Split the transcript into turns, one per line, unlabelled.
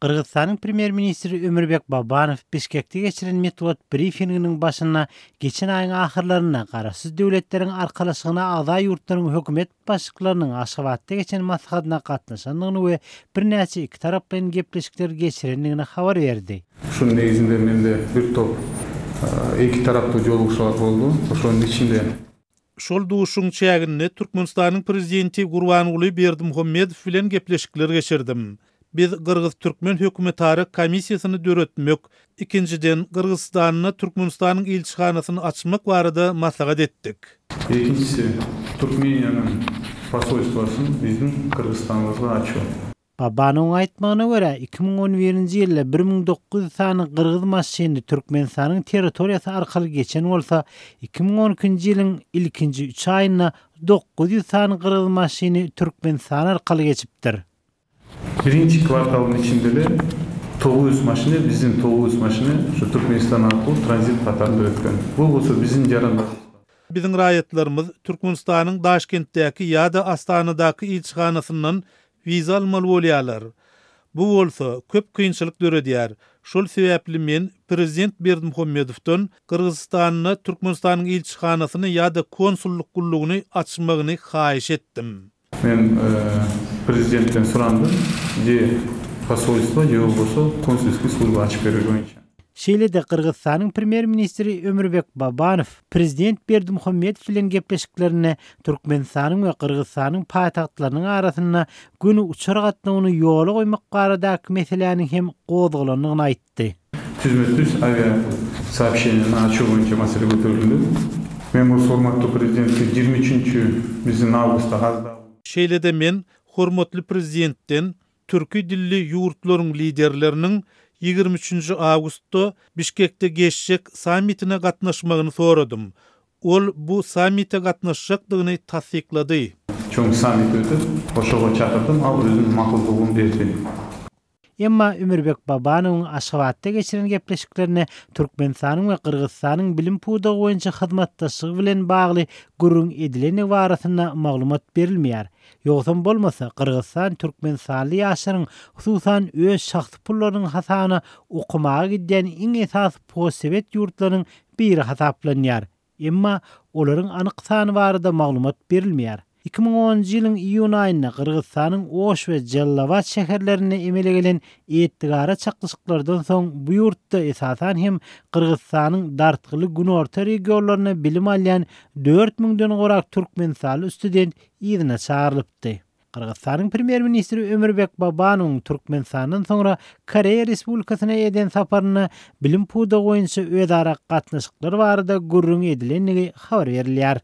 Кыргызстандын премьер-министри Өмүрбек Бабанов Бишкекте кечирен метод брифингинин башына кечен айын ахырларына карасыз дөөлөттөрдүн аркалашыгына ага юрттардын hökümet башчыларынын Ашхабадда кечен маслихатына катнашкандыгын we бир нече эки тарап менен кеплешиктер кечирендигине кабар берди.
Ушунун негизинде менде бир топ эки тараптуу жолугушуулар болду. Ошонун ичинде
Şol duşuň çäginde Türkmenistanyň prezidenti Gurbanuly Berdimuhammedow bilen gepleşikler geçirdim. Biz Kırgız-Türkmen hökümetary komissiýasyny döretmek, ikinciden Kırgızstanyna Türkmenistanyň elçihanasyny açmak barada maslahat etdik.
Экинчиси Türkmeniýanyň посольствосын биздин Kırgızstanybызга açуу.
Babanowyň aýtmagyna görä 2011-nji ýylda 1900 sany Kırgız maşyny Türkmenistanyň territoriýasy arkaly geçen bolsa, 2012-nji ýylyň ilkinji 3 aýyna 900 sany Kırgız maşyny Türkmenistan arkaly geçipdir.
Birinci kvartalın içinde de 900 maşını, bizim 900 maşını şu Türkmenistan arkalı transit katarında ötken. Bu olsa bizim jarandar.
Bizim raýatlarymyz Türkmenistanyň Daşkentdäki ýa-da Astanadaky elçihanasyndan viza almaly bolýarlar. Bu bolsa köp kynçylyk döredýär. Şol sebäpli men prezident Berdimuhammedowdan Kırgızstanyna Türkmenistanyň elçihanasyny ýa-da konsulluk gullugyny açmagyny haýyş etdim.
Men prezidentten sorandım, je посольство, je bolsa konsulskiy slужба açyp berer boýunça.
Şeýlede Kırgızstanyň premier-ministri Ömürbek Babanow prezident Berdimuhammedow bilen gepleşiklerine Türkmenistanyň we Kırgızstanyň paýtagtlarynyň arasyna günü uçar gatnawyny ýola goýmak baradaky meseleniň hem gozgulanyny aýtdy.
Түзмөтүз авиа сообщениени açуу боюнча маселе көтөрүлдү. Men bu formatda prezidentke 23 bizdin awgustda gazda.
Şeýlede men hormatly prezidentten türki dilli ýurtlaryň liderleriniň 23 awgustda Bişkekde geçjek sammitine gatnaşmagyny soradym. Ol bu sammitde gatnaşjakdygyny tasdiklady.
Çoň sammit ötüp, oşoga çakyrdym, al özüň makyldygyny berdi.
Emma Ömürbek Babanowyň Aşgabatda geçiren gepleşiklerine Türkmenistanyň we Kırgızstanyň bilim pudagy boýunça hyzmatdaşlygy bilen bagly gurrun edileni barasyna maglumat berilmeýär. Ýogsam bolmasa Kırgızstan Türkmenistanly ýaşlaryň hususan öz şahsy pullarynyň hasabyna okumaga giden iň esas postsowet ýurtlarynyň biri hasaplanýar. Emma olaryň anyk sany barada maglumat berilmeýär. 2010-njy ýylyň iýun aýynda Kırgızstanyň Oş we Jallabad şäherlerine emele gelen etdigara çaklyşyklardan soň bu ýurtda esasan hem Kırgızstanyň dartgyly günorta regionlaryna bilim alýan 4000-den gorak türkmenistanly student ýygyna çağrylypdy. Kırgızstanyň premier-ministri Ömürbek Babanowyň Türkmenistandan soňra Koreýa Respublikasyna eden saparyna bilim pudagy boýunça özara gatnaşyklar barada gurrun edilenligi habar berilýär.